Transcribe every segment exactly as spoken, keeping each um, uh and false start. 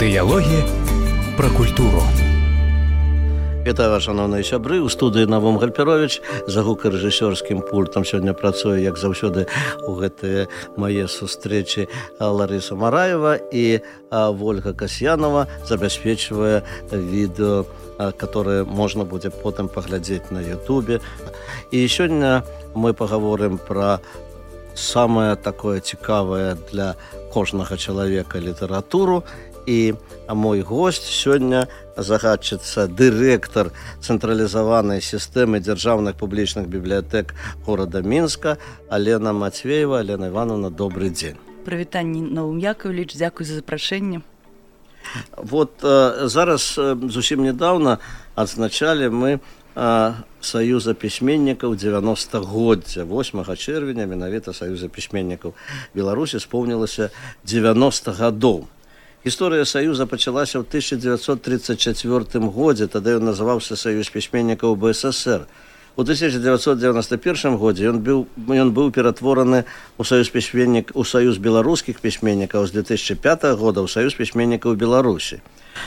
Дыялогі пра культуру. Вітаю вас, шановныя сябры. У студыі Навум Гальперович за гукарэжысёрскім пультам сёння працуе, як заўсёды, у гэтыя мае сустрэчы Ларыса Мараева і Вольга Касьянова забяспечвае відэо, которое можна будзе потым паглядзець на Ютубе. І сёння мы паговорым пра самае такое цікавае для кожнага чалавека літаратуру. І мой госць сёння загадчыца дырэктар цэнтралізаванай сістэмы дзяржаўных публічных бібліятэк горада Мінска Алена Матвеева. Алена Івановна, добрый дзень. Прывітанне, Навум Яковлевич, дзякуй за запрашэнне. Вот э, зараз э, зусім недавно адзначалі мы э, Саюза пісьменнікаў дзевяностагоддзя. восьмага чэрвеня менавіта Саюза пісьменнікаў Беларусі споўнілася дзевяноста гадоў. Гісторыя Саюза пачалася ў тысяча дзевяцьсот тридцать чацвёртым годзе, тады ён называўся Саюз пісьменнікаў БССР. У тысяча дзевяцьсот дзевяноста першым годзе ён быў, ён быў ператвораны ў Саюз пісьменнік, у Саюз беларускіх пісьменнікаў, з две тысячи пятага года ў Саюз пісьменнікаў Беларусі.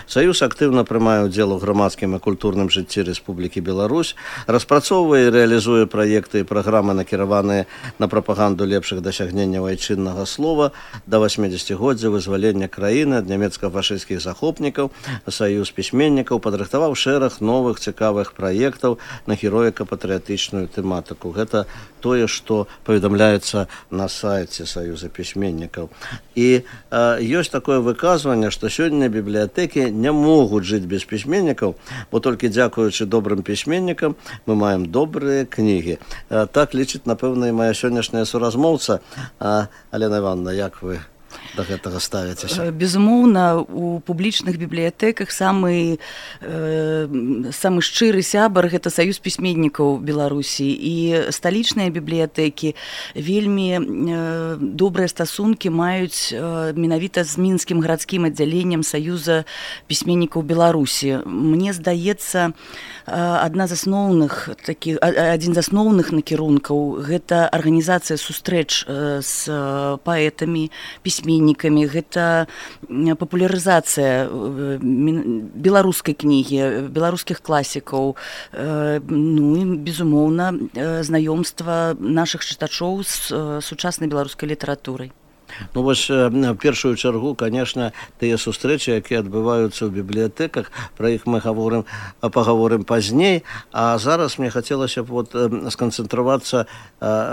Саюз актыўна прымае ўдзел у грамадскім і культурным жыцці Рэспублікі Беларусь, распрацоўвае і рэалізуе праекты і праграмы, накіраваныя на прапаганду лепшых дасягненняў айчыннага слова. Да васьмідзесяцігоддзя вызвалення краіны ад нямецка-фашысцкіх захопнікаў Саюз пісьменнікаў падрыхтаваў шэраг новых цікавых праектаў на героіка-патрыятычную тэматыку. Гэта тое, што паведамляецца на сайце Саюза пісьменнікаў. І э, ёсць такое выказванне, што сёння бібліятэкі не могуць жыць без пісьменнікаў, бо толькі дзякуючы добрым пісьменнікам мы маем добрыя кнігі. Э, так лічыць, напэўна, і моя сённяшняя суразмоўца. Э, Алена Івановна, як вы да гэтага ставіцеся? Безумоўна, у публічных бібліятэках самы, э, самы шчыры сябар гэта Саюз пісьменнікаў Беларусі. І сталічныя бібліятэкі вельмі э, добрыя стасункі маюць э, менавіта з мінскім гарадскім аддзяленнем Саюза пісьменнікаў Беларусі. Мне здаецца, адна з асноўных такі, адзін з асноўных накірункаў гэта арганізацыя сустрэч з паэтамі, пісьменнікамі, гэта папулярызацыя беларускай кнігі, беларускіх класікаў, ну і, безумоўна, знаёмства нашых чытачоў з сучаснай беларускай літаратурай. Ну вось, в першую чаргу, конечно, тыя сустрэчы, якія адбываюцца ў бібліятэках, пра іх мы гаворым, пагаворым пазней, а зараз мне хацелася б вот сканцэнтравацца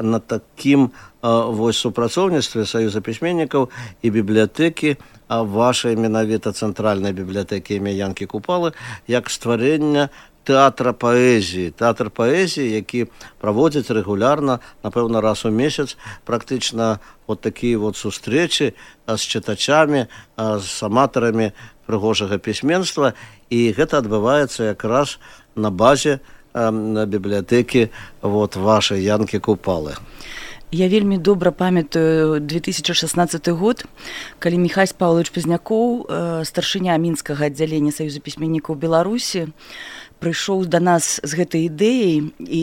на такім вось супрацоўніцтве Саюза пісьменнікаў і бібліятэкі вашай менавіта цэнтральнай бібліятэкі імя Янкі Купалы, як стварэння тэатра паэзіі. Тэатр паэзіі, які праводзіць рэгулярна, напэўна, раз у месяц, практычна вот такія вот сустрэчы з чытачамі, з аматарамі прыгожага пісьменства, і гэта адбываецца якраз на базе на бібліятэкі вот вашай Янкі Купалы. Я вельмі добра памятаю две тысячи шестнадцатый год, калі Міхась Павлович Пазнякоў, старшыня мінскага аддзялення Саюза пісьменнікаў Беларусі, прыйшоў да нас з гэтай ідэяй, і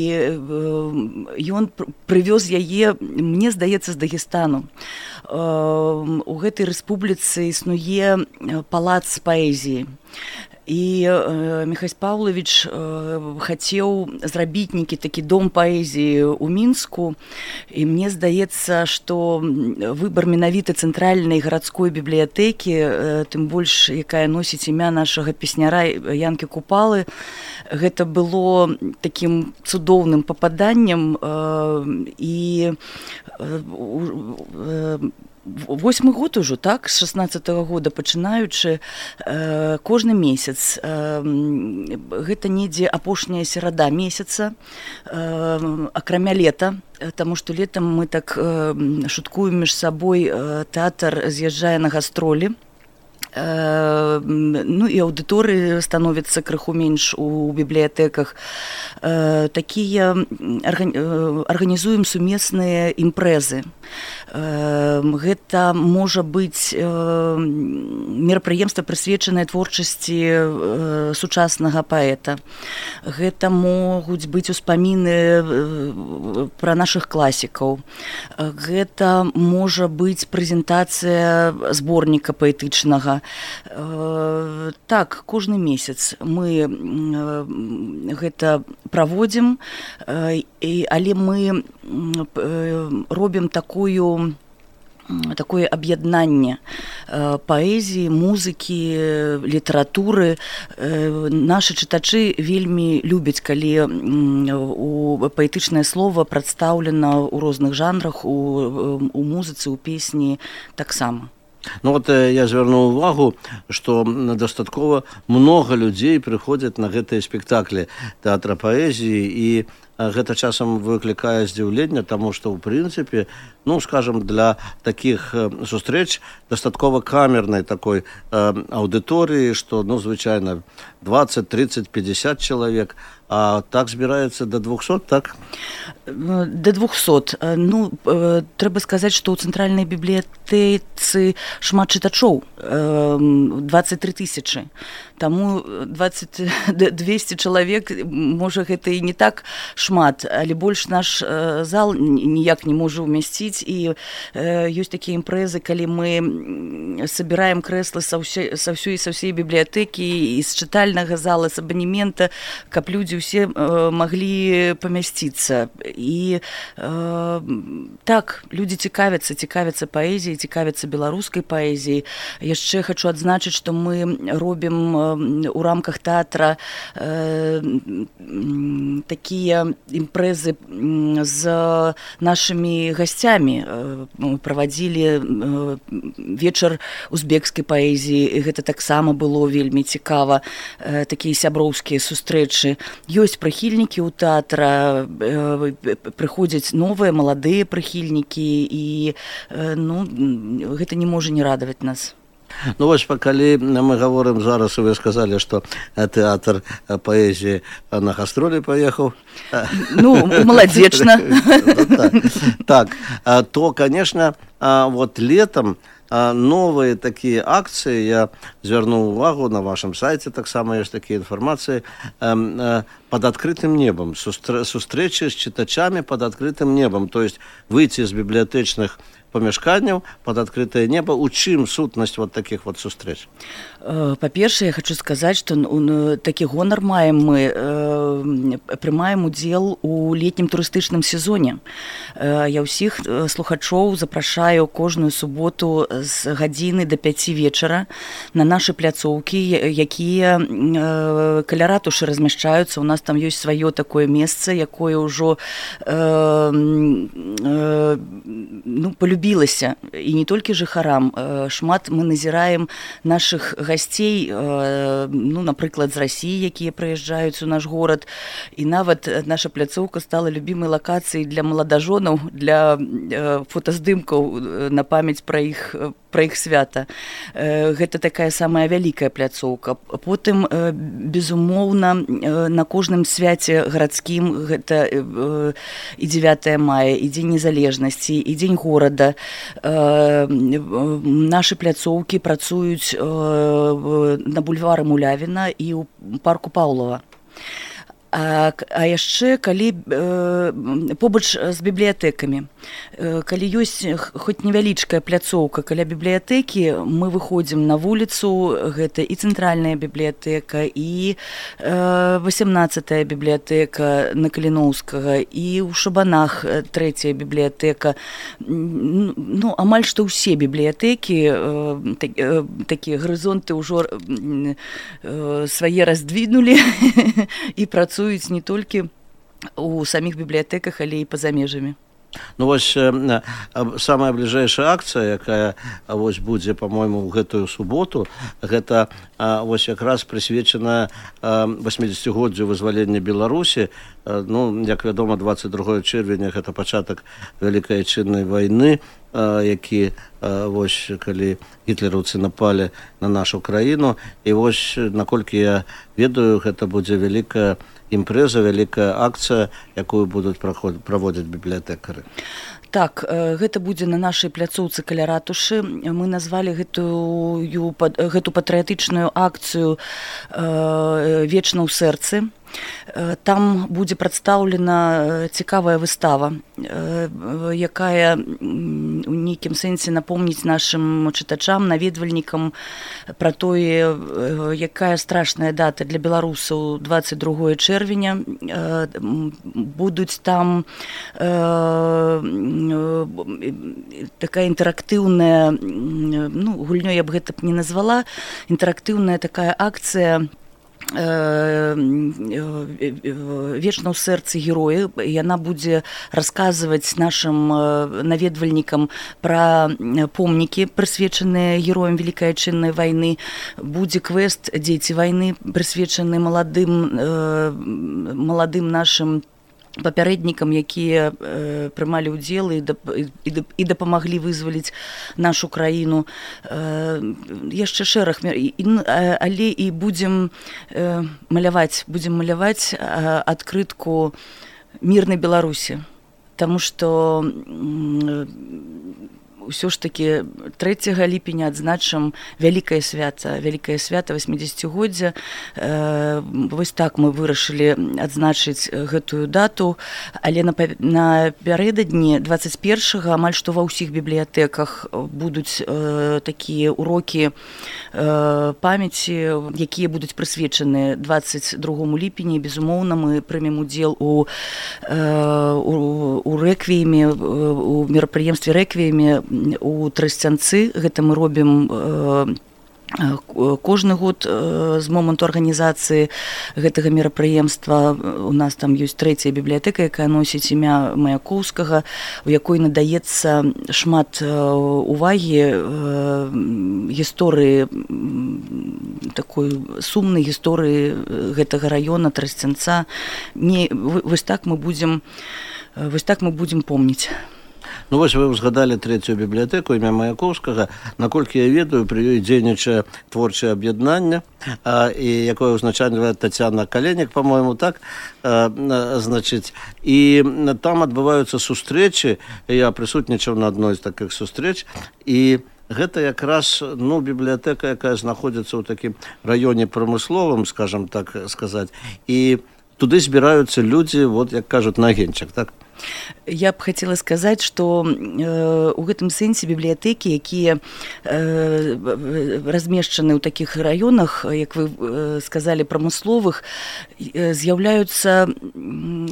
ён прывёз яе, мне здаецца, з Дагестану. У гэтай рэспубліцы існуе палац паэзіі. І э, Міхась Павлович э, хацеў зрабіць нейкі такі дом паэзіі ў Мінску, і мне здаецца, што выбар менавіта цэнтральнай гарадской бібліятэкі, э, тым больш, якая носіць імя нашага песняра Янкі Купалы, гэта было такім цудоўным пападаннем, э, і э, э, восьмы год ужо, так, з шестнадцатага года пачынаючы, э, кожны месяц, э, гэта недзе апошняя серада месяца, э, акрамя лета, таму што летам мы так э, шуткуем між сабой, э, тэатр з'язджае на гастролі, э, ну і аўдыторыі становіцца крыху менш у бібліятэках. Э, такія арган... арганізуем сумесныя імпрэзы. Гэта можа быць мерапрыемства, прысвечанае творчасці сучаснага паэта. Гэта могуць быць успаміны пра нашых класікаў. Гэта можа быць прэзентацыя зборніка паэтычнага. Так, кожны месяц мы гэта праводзім, але мы робім такую такое аб'яднанне паэзіі, музыкі, літаратуры. Нашы чытачы вельмі любяць, калі у паэтычнае слова прадстаўлена ў розных жанрах, у, у музыцы, у песні таксама. Ну вот я звярнуў увагу, што дастаткова многа людзей прыходзяць на гэтыя спектаклі тэатра паэзіі, і гэта часам выклікае здзіўленне, таму што, ў прынцыпе, ну, скажем, для такіх сустрэч дастаткова камернай такой э, аўдыторыі, што, ну, звычайна, двадцать, тридцать, пятьдесят чалавек, а так збіраецца до двухсот, так? До двухсот. Ну, трэба сказаць, што ў цэнтральнай бібліятэцы шмат чытачоў, двадцать три тысячы. Таму двадцать двести чалавек, можа, гэта і не так шмат, але больш наш зал ніяк не можа ўмясціць, і ёсць такія імпрэзы, калі мы сабіраем крэслы са ўсёй, са ўсёй, са ўсёй бібліятэкі і з чытальнага зала, з абанемента, каб людзі ўсе маглі памясціцца. І э, так, людзі цікавяцца, цікавяцца паэзіяй, цікавяцца беларускай паэзіяй. Яшчэ хачу адзначыць, што мы робім у рамках тэатра э, такія імпрэзы з нашымі гасцямі. Мы правадзілі вечар узбекскай паэзіі, гэта таксама было вельмі цікава, такія сяброўскія сустрэчы. Ёсць прыхільнікі ў тэатра, прыходзяць новыя, маладыя прыхільнікі, і ну, гэта не можа не радаваць нас. Ну вось, калі мы гаворым зараз, вы сказалі, што тэатр паэзіі на гастролі паехаў. Ну, маладзечна. Так, то, конечно, вот летом новые такие акции, я звярнуў увагу на вашем сайте, таксама ёсць такія інфармацыі, под открытым небом, сустрэчы з чытачамі под открытым небом, то есть выйти з бібліятэчных памяшканняў под открытое небо. У чым сутнасць вот таких вот сустрэч? Па-першае, я хочу сказаць, што такі гонар маем мы, прымаем удзел у летнім турыстычным сезоне. Я ўсіх слухачоў запрашаю кожную суботу з гадзіны до пяці вечара на нашы пляцоўкі, якія каля ратушы размяшчаюцца. У нас там ёсць сваё такое месца, якое ўжо ну, полюбілася, і не толькі жыхарам. Шмат мы назіраем нашых гасцей, ну, напрыклад, з Расіі, якія прыязджаюць у наш горад, і нават наша пляцоўка стала любімай лакацыяй для маладажонаў, для фотаздымкаў на памяць пра іх пра іх свята. Гэта такая самая вялікая пляцоўка. Потым, безумоўна, на кожным свяце гарадскім, гэта і дзевятае мая, і Дзень незалежнасці, і Дзень горада, нашы пляцоўкі працуюць на бульвары Мулявіна і ў парку Паўлова. А, а яшчэ, калі э, побач з бібліятэкамі, э, калі ёсць хоць невялічкая пляцоўка каля бібліятэкі, мы выходзім на вуліцу, гэта і цэнтральная бібліятэка, і э, васямнаццатая бібліятэка на Каліноўскага, і ў Шабанах трэцяя бібліятэка. Ну, амаль што ўсе бібліятэкі, э, так, э, такія гарызонты ўжо э, свае раздвінулі і працуюць не толькі у самих бібліятэках, але і па-за межамі. Ну вось самая бліжэйшая акцыя, якая вось будзе, по-мойму, ў гэтую суботу, гэта вось якраз прысвечаная восьмідзесяцігоддзю вызвалення Беларусі. Ну, як вядома, двадцать другое чэрвеня гэта пачатак Вялікай Айчыннай вайны, які вось калі гітлераўцы напалі на нашу краіну, і вось наколькі я ведаю, гэта будзе вялікая імпрэза, вялікая акцыя, якую будуць праводзіць бібліятэкары. Так, гэта будзе на нашай пляцоўцы каля ратушы. Мы назвалі гэтую, гэту патрыятычную акцыю «Вечна ў сэрцы». Там будзе прадстаўлена цікавая выстава, якая у нейкім сэнсе напомніць нашым чытачам, наведвальнікам пра тое, якая страшная дата для беларусаў дваццаць другое чэрвеня. Будуць там такая інтэрактыўная, ну, гульнёй я б гэта б не назвала, інтэрактыўная такая акцыя вечна ў сэрцы героі. Яна будзе расказваць нашым наведвальнікам пра помнікі, прысвечаныя героям Вялікай Адчыннай вайны. Будзе квест «Дзеці вайны», прысвечаны маладым, маладым нашым папярэднікам, якія э, прымалі ўдзел і, дап, і, і дапамаглі вызваліць нашу краіну. Э, яшчэ шэраг, і, але і будзем э, маляваць, будзем маляваць э, адкрытку мірнай Беларусі, таму што э, ўсё ж такі трэцяга ліпеня адзначым вялікае свята, вялікае свята васьмідзесяцігоддзя. Э, вось так мы вырашылі адзначыць гэтую дату, але напярэдадні дваццаць першага амаль што ва ўсіх бібліятэках будуць э, такія урокі э, памяці, якія будуць прысвечаны дваццаць другому ліпені. Безумоўна, мы прымем удзел у, э, у, у рэквіеме, у мерапрыемстве рэквіеме у Трасцянцы. Гэта мы робім э, кожны год э, з моманту арганізацыі гэтага мерапрыемства. У нас там ёсць трэцяя бібліятэка, якая носіць імя Маяковскага, у якой надаецца шмат э, увагі э, гісторыі, такой сумнай гісторыі гэтага раёна Трасцянца. Не, вось так мы будзем, вось так мы будзем помніць. Ну вось вы узгадалі трэцюю бібліятэку імя Маяковскага. Наколькі я ведаю, пры ёй дзейнічае творчае аб'яднанне, а, і якое ўзначальвае Тацяна Каленік, па-мойму, так, а, значыць, і там адбываюцца сустрэчы. Я прысутнічаў на адной з такіх сустрэч, і гэта якраз, ну, бібліятэка, якая знаходзіцца ў такім раёне прамысловым, скажам так сказаць, і туды збіраюцца людзі, вот як кажуць, на агеньчак, так? Я б хацела сказаць, што э, у гэтым сэнсе бібліятэкі, якія э, размешчаны ў такіх раёнах, як вы э, сказалі, прамысловых, э, з'яўляюцца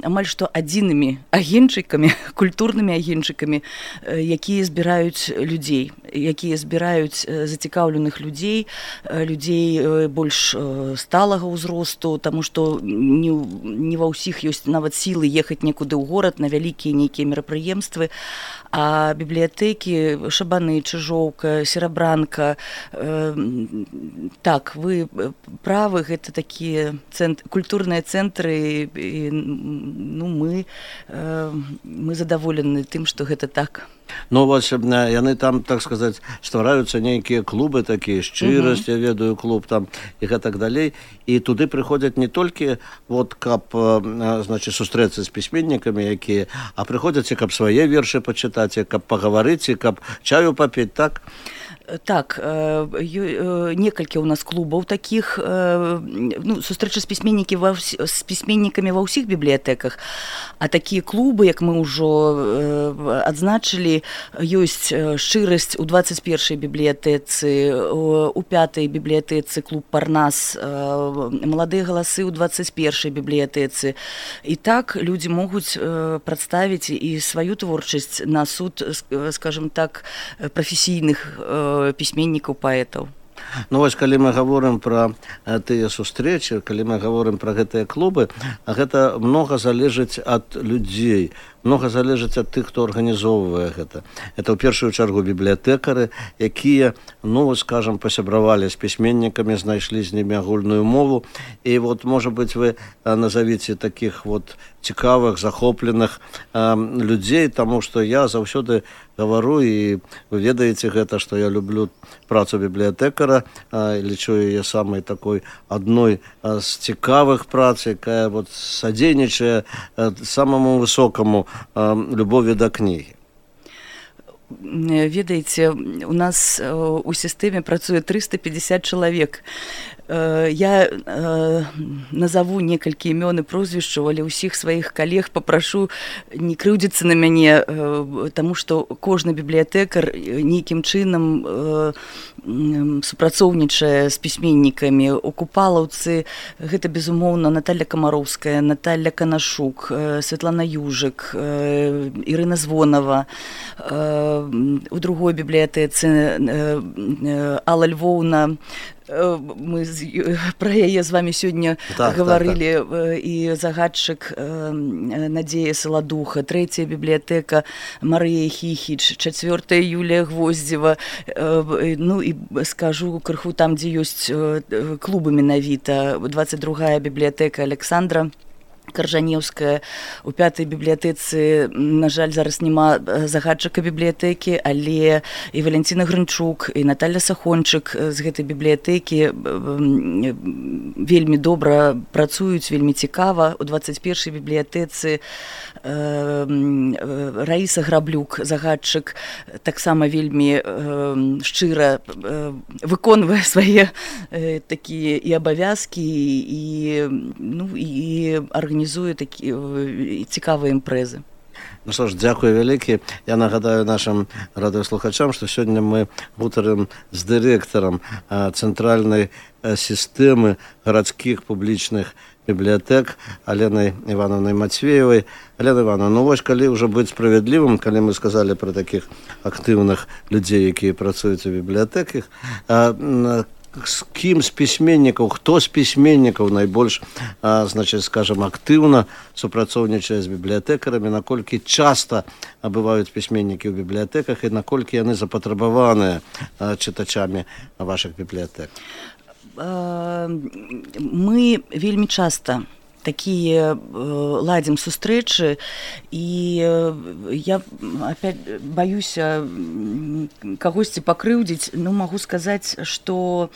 амаль што адзінымі агеньчыкамі, культурнымі агеньчыкамі, э, якія збіраюць людзей, якія збіраюць э, зацікаўленых людзей, э, людзей э, больш э, сталага ўзросту, таму што не, не ва ўсіх ёсць нават сілы ехаць некуды ў горад на вялікія нейкія мерапрыемствы, а бібліятэкі, Шабаны, Чыжоўка, Серабранка, э, так, вы правы, гэта такія цэнт, культурныя цэнтры, і, ну, мы, э, мы задаволены тым, што гэта так. Ну, вось яны там, так сказаць, ствараюцца нейкія клубы такія, шчырасць, я ведаю, клуб там і гэтак далей, і туды прыходзяць не толькі вот каб, значыць, сустрэцца з пісьменнікамі, якія, а прыходзяць і каб свае вершы пачытаць, і каб пагаварыць, і каб чаю папіць, так? Так, некалькі ў нас клубаў такіх, ну, сустрэчы з пісьменнікі ва, з пісьменнікамі ва ўсіх бібліятэках, а такія клубы, як мы ўжо адзначылі, ёсць шчырасць у дваццаць першай бібліятэцы, у пятай бібліятэцы клуб Парнас, маладыя галасы ў дваццаць першай бібліятэцы. І так людзі могуць прадставіць і сваю творчасць на суд, скажем так, прафесійных пісьменнікаў, паэтаў. Ну вось, калі мы гаворым пра тыя сустрэчы, калі мы гаворым пра гэтыя клубы, гэта многа залежыць ад людзей, многа залежыць ад тых, хто арганізоўвае гэта. Это ў першую чаргу бібліятэкары, якія, ну, скажам, пасябравалі з пісьменнікамі, знайшлі з німі агульную мову. І вот, можа быць, вы назавіце такіх вот цікавых, захопленых э, людзей, таму што я заўсёды гавару, і вы ведаеце гэта, што я люблю працу бібліятэкара, э, лічу яе самай такой адной э, з цікавых прац, якая вот садзейнічае э, самаму высокаму э, любові да кнігі. Ведаеце, у нас у сістэме працуе трыста пятьдесят чалавек. Я назову некалькі імён і прозвішчаў, але ўсіх сваіх калег папрашу не крыўдзіцца на мяне, таму што кожны бібліятэкар нейкім чынам супрацоўнічае з пісьменнікамі. У Купалаўцы гэта, безумоўна, Наталья Камароўская, Наталья Канашук, Святлана Южык, Ірына Звонова. У другой бібліятэцы Алла Львоўна. Мы пра яе з вамі сёння так, гаварылі, так, так. І загадчык Надзея Саладуха, трэцяя бібліятэка Марыя Хіхіч, чацвёртая Юлія Гвоздзева. Ну і скажу крыху там, дзе ёсць клубы менавіта. двадцать другая бібліятэка Александра Каржанеўская. У пятай бібліятэцы, на жаль, зараз няма загадчыка бібліятэкі, але і Валянціна Грынчук, і Наталья Сахончык з гэтай бібліятэкі вельмі добра працуюць, вельмі цікава. У двадцать першай бібліятэцы Раіса Граблюк, загадчык, таксама вельмі шчыра выконвае свае такія і абавязкі, і, ну, і арганізуе такі цікавыя імпрэзы. Ну што ж, дзякую вялікі. Я нагадаю нашим радыёслухачам, што сёння мы гутарым з дырэктарам цэнтральнай сістэмы гарадскіх публічных бібліятэк Аленай Івановнай Мацвеевай. Алена Івановна, ну вось калі ўжо быць справядлівым, калі мы сказалі пра такіх актыўных людзей, якія працуюць у бібліятэках, з кім з пісьменнікаў, хто з пісьменнікаў найбольш, а, значыць, скажам, актыўна супрацоўнічае з бібліятэкарамі, наколькі часта бываюць пісьменнікі ў бібліятэках і наколькі яны запатрабаваныя а, чытачамі вашых бібліятэк? Мы вельмі часта такие ладим сустрэчы, і я опять баюся кагосьці пакрыўдзіць, ну магу сказаць, што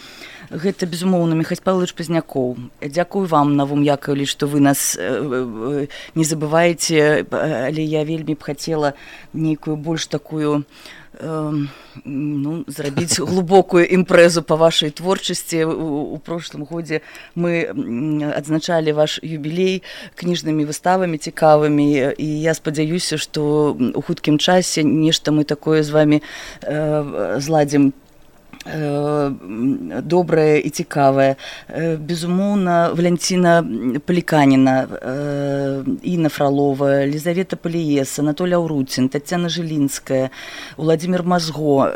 гэта, безумоўна, Міхась Павлович Пазнякоў. Дзякую вам, Навум Яковлевич, што вы нас не забываеце, але я вельмі б хацела нейкую больш такую ну, зрабіць глубокую імпрэзу па вашай творчасці. У, у прошлым годзе мы адзначалі ваш юбілей кніжнымі выставамі цікавымі, і я спадзяюся, што у хуткім часе нешта мы такое з вамі э, зладзім добрае і цікавае. Безумоўна, Валянціна Паліканіна, Інна Фролова, Лизавета Паліес, Анатолий Ауруцін, Тацяна Жылінская, Уладзімір Мазго,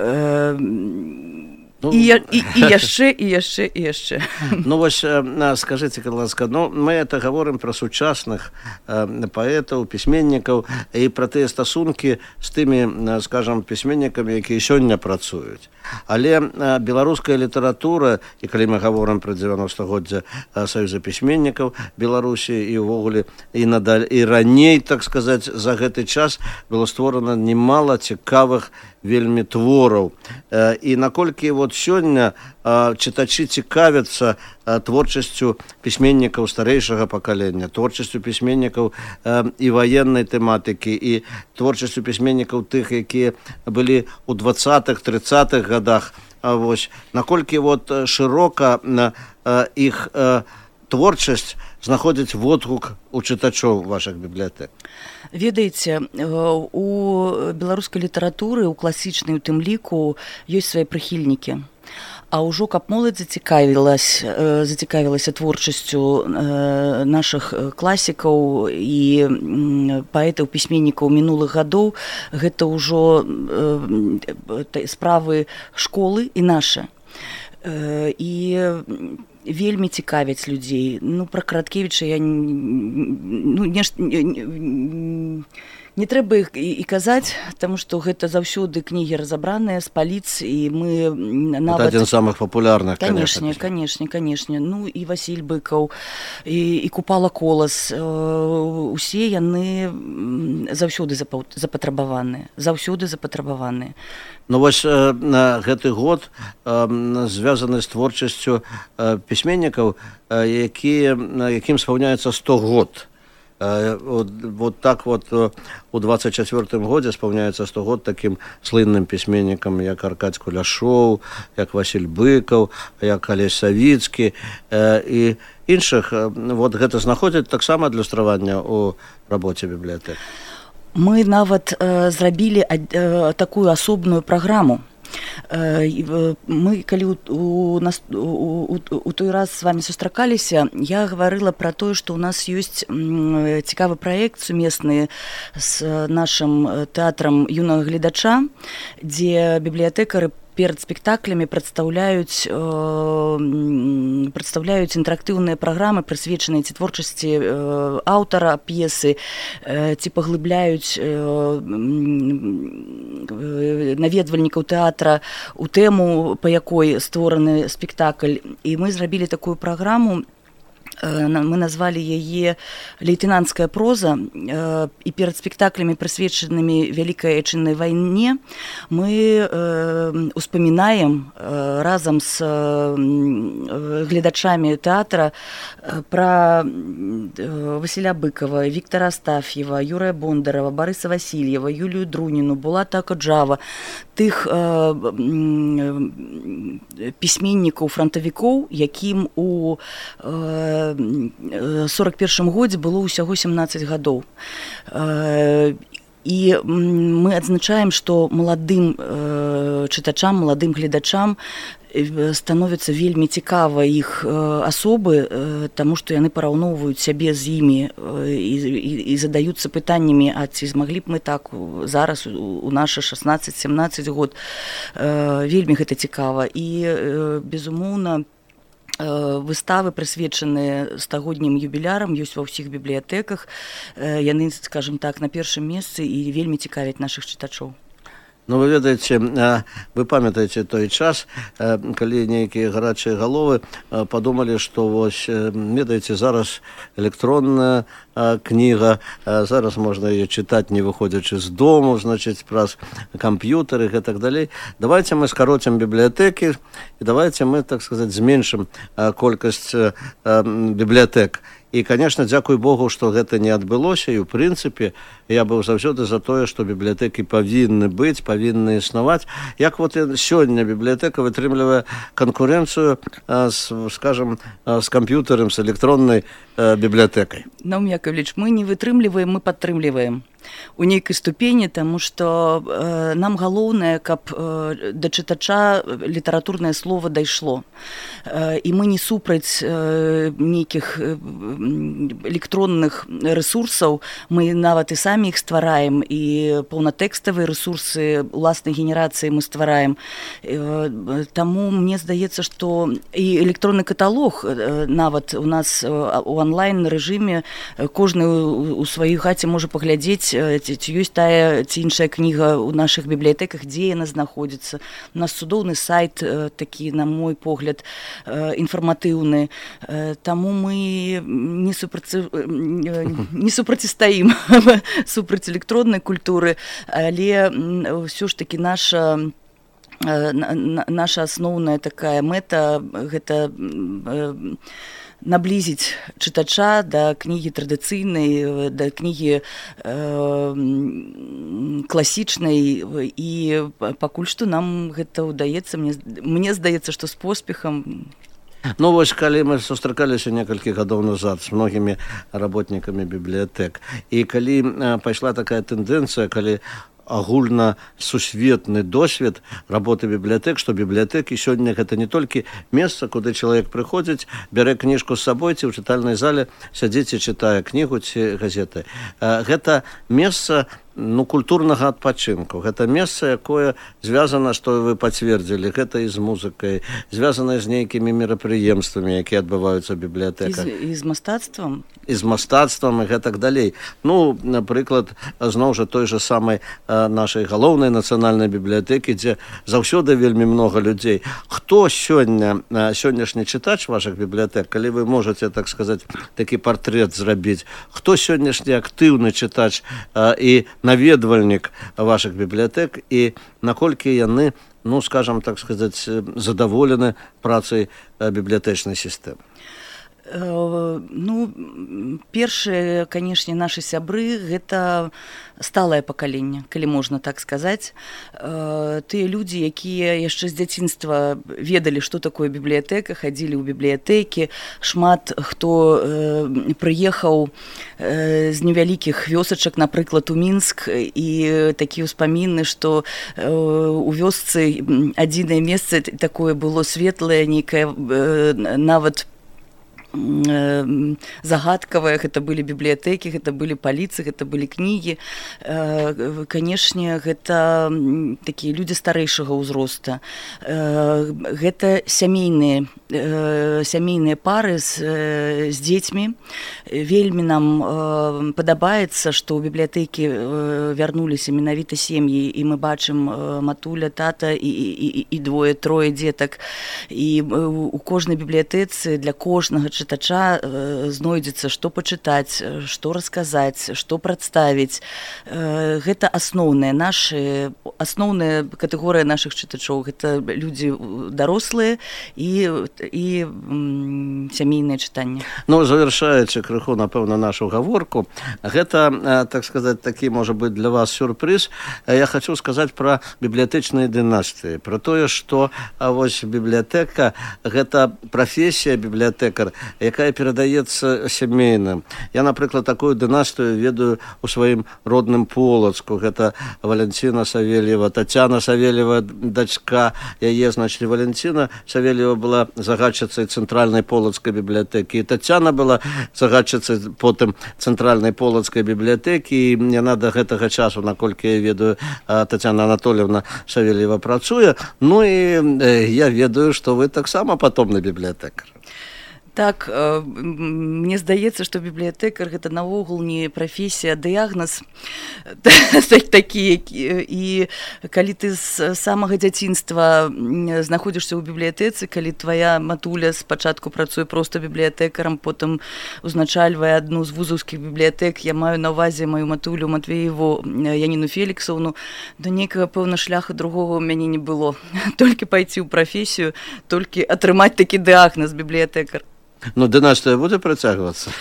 ну, і, і, і яшчэ, і яшчэ, і яшчэ. Ну вось, скажыце, калі ласка, ну мы это гаворым пра сучасных паэтаў, пісьменнікаў і пра тыя стасункі з тымі, скажам, пісьменнікамі, якія сёння працуюць. Але беларуская літаратура, і калі мы гаворым пра дзевяностагоддзя Саюза пісьменнікаў Беларусі і ўвогуле і надалей, і раней, так сказаць, за гэты час было створана немало цікавых вельмі твораў. І наколькі вот сёння чытачы цікавяцца творчасцю пісьменнікаў старэйшага пакалення, творчасцю пісьменнікаў і ваеннай тэматыкі, і творчасцю пісьменнікаў тых, якія былі ў двадцатых трыццатых годах. Вось наколькі вот шырока іх творчасць знаходзіць водгук у чытачоў вашых бібліятэк? Ведаеце, у беларускай літаратуры, у класічнай у тым ліку, ёсць свае прыхільнікі. А ўжо каб моладзь зацікавілася, зацікавілася творчасцю нашых класікаў і паэтаў, пісьменнікаў мінулых гадоў, гэта ўжо справы школы і нашы. І вельмі цікавяць людзей. Ну, пра Караткевіча я ну, нешта не, не трэба іх і, і казаць, таму што гэта заўсёды кнігі разабраныя з паліц, і мы нават... Это адзін з самых папулярных, конечно. Конечно, конечно. Ну, і Васіль Быкаў, і, і Купала Колас. Усе яны заўсёды запатрабаваныя. Заўсёды запатрабаваныя. Ну, вось гэты год звязаны з творчасцю пісьменнікаў, якія, якім спаўняецца сто год. Вот, вот так вот у двадцать четвёртым годзе спаўняецца сто год таким слынным пісьменнікам, як Аркадзь Куляшоў, як Васіль Быкаў, як Алесь Савіцкі і іншых. Вот гэта знаходзіць таксама адлюстраванне ў рабоце бібліятэк. Мы нават э, зрабілі э, такую асобную праграму. Мы, калі у, у, у, у той раз з вами сустракаліся, я гаварыла пра тое, што ў нас ёсць цікавы праект сумесны з нашым тэатрам юнага гледача, дзе бібліятэкары перад спектаклямі прадстаўляюць э, прадстаўляюць інтэрактыўныя праграмы, прысвечаныя ці творчасці э, аўтара п'есы, э, ці паглыбляюць э, наведвальнікаў тэатра у тэму, па якой створаны спектакль. І мы зрабілі такую праграму. Мы назвалі яе «Лейтенантская проза», і перад спектаклямі, прысвечанымі Вялікай Айчыннай вайне, мы успамінаем разам з гледачамі тэатра пра Васіля Быкава, Віктара Астаф'ева, Юрыя Бондарава, Барыса Васільева, Юлію Друніну, Булата Акаджава, тых пісьменнікаў, франтавікоў, якім у сорок першым годзе было ўсяго сямнаццаць гадоў. І мы адзначаем, што маладым чытачам, маладым гледачам становіцца вельмі цікава іх асобы, таму што яны параўноўваюць сябе з імі і, і, і задаюцца пытаннямі, а ці змаглі б мы так зараз у нашы шаснаццаць-сямнаццаць год. Вельмі гэта цікава. І, безумоўна, выставы, прысвечаныя стагоднім юбілярам, ёсць ва ўсіх бібліятэках. Яны, скажем так, на першым месцы і вельмі цікавяць нашых чытачоў. Ну, вы ведаеце, вы памятаеце той час, калі нейкія гарачыя галовы падумалі, што вось, ведаеце, зараз электронная кніга, зараз можна яе чытаць, не выходзячы з дому, значыць, праз камп'ютары і так далей. Давайте мы скароцім бібліятэкі і давайте мы, так сказаць, зменшым колькасць бібліятэк. І, конечно, дзякуй Богу, што гэта не адбылося, і, ў прынцыпе, я быў заўсёды за тое, што бібліятэкі павінны быць, павінны існаваць. Як вот сёння бібліятэка вытрымлівае канкурэнцыю, скажем, з камп'ютарам, з электроннай бібліятэкай? Наум Яковлевич, мы не вытрымліваем, мы падтрымліваем у нейкай ступені, таму што э, нам галоўнае, каб э, да чытача літаратурнае слова дайшло. Э, і мы не супраць э, нейкіх э, электронных рэсурсаў, мы нават і самі іх ствараем, і паўнатэкставыя рэсурсы уласнай генерацыі мы ствараем. Э, таму мне здаецца, што і электронны каталог э, нават у нас у онлайн-рэжыме кожны у сваёй хаце можа паглядзець, ці, ці ёсць тая ці іншая кніга ў нашых бібліятэках, дзе яна знаходзіцца. У нас цудоўны сайт такі, на мой погляд, інфарматыўны. Таму мы не, супраці... не супрацістаім супраць электроннай культуры, але ўсё ж такі наша наша асноўная такая мэта гэта наблізіць чытача да кнігі традыцыйнай, да кнігі э, класічнай, і пакуль што нам гэта ўдаецца, мне, мне здаецца, што з поспехам. Ну, вось, калі мы сустракаліся некалькі гадоў назад з многімі работнікамі бібліятэк, і калі э, пайшла такая тэндэнцыя, калі агульна сусветны досвед работы бібліятэк, што бібліятэкі сёння гэта не толькі месца, куды чалавек прыходзіць, бярэ кніжку з сабой, ці ў чытальнай зале сядзіць і чытае кнігу ці газеты. Гэта месца, ну, культурнага адпачынку. Гэта месца, якое звязана, што вы пацвердзілі, гэта і з музыкай, звязана з нейкімі мерапрыемствамі, якія адбываюцца ў бібліятэках. І з, і з мастацтвам. І з мастацтвам, і гэтак далей. Ну, напрыклад, зноў жа той жа самай нашай галоўнай нацыянальнай бібліятэкі, дзе заўсёды вельмі многа людзей. Хто сёння, сённяшні чытач вашых бібліятэк, калі вы можаце, так сказаць, такі партрэт зрабіць, хто сённяшні актыўны чытач і наведвальнік вашых бібліятэк, і наколькі яны, ну, скажам, так сказаць, задаволены працай бібліятэчнай сістэмы? Ну, першыя, канешне, нашы сябры гэта сталае пакаленне, калі можна так сказаць. Тыя людзі, якія яшчэ з дзяцінства ведалі, што такое бібліятэка, хадзілі ў бібліятэкі, шмат хто прыехаў з невялікіх вёсачак, напрыклад, у Мінск, і такія ўспаміны, што у вёсцы адзінае месца такое было светлае, нейкае нават загадкавыя, гэта былі бібліятэкі, гэта былі паліцы, гэта былі кнігі. Канешне, гэта такія людзі старэйшага ўзроста. Гэта сямейныя сямейныя пары з, з дзецьмі. Вельмі нам падабаецца, што ў бібліятэкі вярнуліся менавіта сем'і, і мы бачым матуля, тата і, і, і двое, трое дзетак. І у кожнай бібліятэцы для кожнага чытача знойдзецца, што пачытаць, што расказаць, што прадставіць. Гэта асноўная наша, асноўная катэгорыя нашых чытачоў. Гэта людзі дарослыя і і сямейнае чытанне. Ну, завершаючы крыху, напэўна, нашу гаворку, гэта, так сказаць, такі, можа быць, для вас сюрпрыз. Я хочу сказаць пра бібліятэчныя дынастыі, пра тое, што вось бібліятэка — гэта прафесія бібліятэкар, якая перадаецца сямейным. Я, напрыклад, такую дынастыю ведаю у сваім родным Полацку. Гэта Валянціна Савельева, Тацяна Савельева, дачка яе, значит, Валянціна Савельева была загадчыцай цэнтральнай полацкай бібліятэкі. І Тацяна была загадчыцай потым цэнтральнай полацкай бібліятэкі. І яна да гэтага часу, наколькі я ведаю, Тацяна Анатольевна Савельева працуе. Ну і я ведаю, што вы таксама патомны бібліятэкар. Так, мне здаецца, што бібліятэкар гэта наогул не прафесія, а дыягназ такі. І калі ты з самага дзяцінства знаходзішся ў бібліятэцы, калі твая матуля спачатку працуе проста бібліятэкарам, потым узначальвае адну з вузаўскіх бібліятэк, я маю на ўвазе маю матулю Матвееву Яніну Феліксаўну, да нейкага, пэўна, шляха другога ў мяне не было. Толькі пайти ў прафесію, толькі атрымаць такі дыягназ бібліятэкар. Ну, дынастыя будзе працягвацца?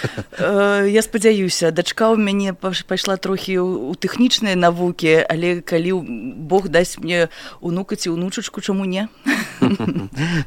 Я спадзяюся. Дачка ў мяне пайшла трохі ў тэхнічныя навукі, але калі Бог дасць мне унука ці унучачку, чаму не?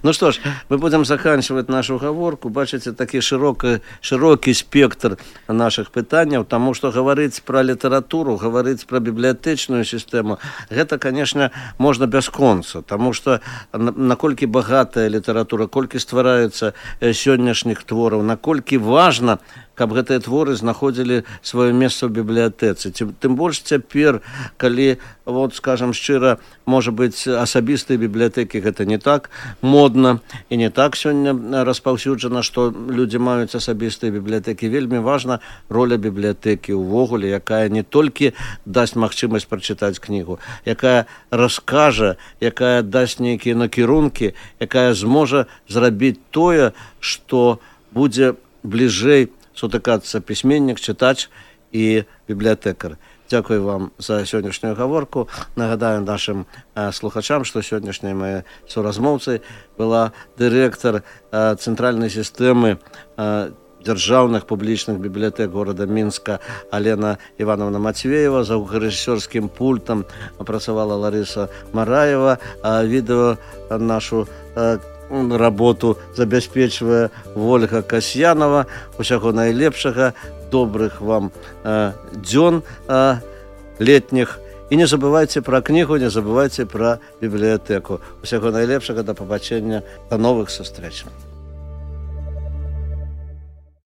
Ну што ж, мы будзем заканчваць нашу гаворку. Бачыце, такі шырокі, шырокі спектр нашых пытанняў, таму што гаварыць пра літаратуру, гаварыць пра бібліятэчную сістэму, гэта, канешне, можна бясконца, таму што наколькі багатая літаратура, колькі ствараюцца сённяшніх твораў, наколькі важна, каб гэтыя творы знаходзілі сваё месца ў бібліятэцы. Тым больш цяпер, калі, вот, скажам шчыра, можа быць, асабістыя бібліятэкі гэта не так модна і не так сёння распаўсюджана, што людзі маюць асабістыя бібліятэкі. Вельмі важна роля бібліятэкі ўвогуле, якая не толькі дасць магчымасць прачытаць кнігу, якая раскажа, якая дасць нейкія накірункі, якая зможа зрабіць тое, што будзе бліжэй сутыкацца пісьменнік, чытач і бібліятэкар. Дзякую вам за сённяшнюю гаворку. Нагадаю нашым э, слухачам, што сённяшняй маёй суразмоўцай была дырэктар э, цэнтральнай сістэмы э, дзяржаўных публічных бібліятэк горада Мінска Алена Івановна Матвеева. За гукарэжысёрскім пультам працавала Ларыса Мараева, а відэо нашу э, работу забяспечвае Вольга Касьянова. Усяго найлепшага, добрых вам э, дзён э, летніх. І не забывайце пра кнігу, не забывайце пра бібліятэку. Усяго найлепшага, да пабачэння, да новых сустрэч.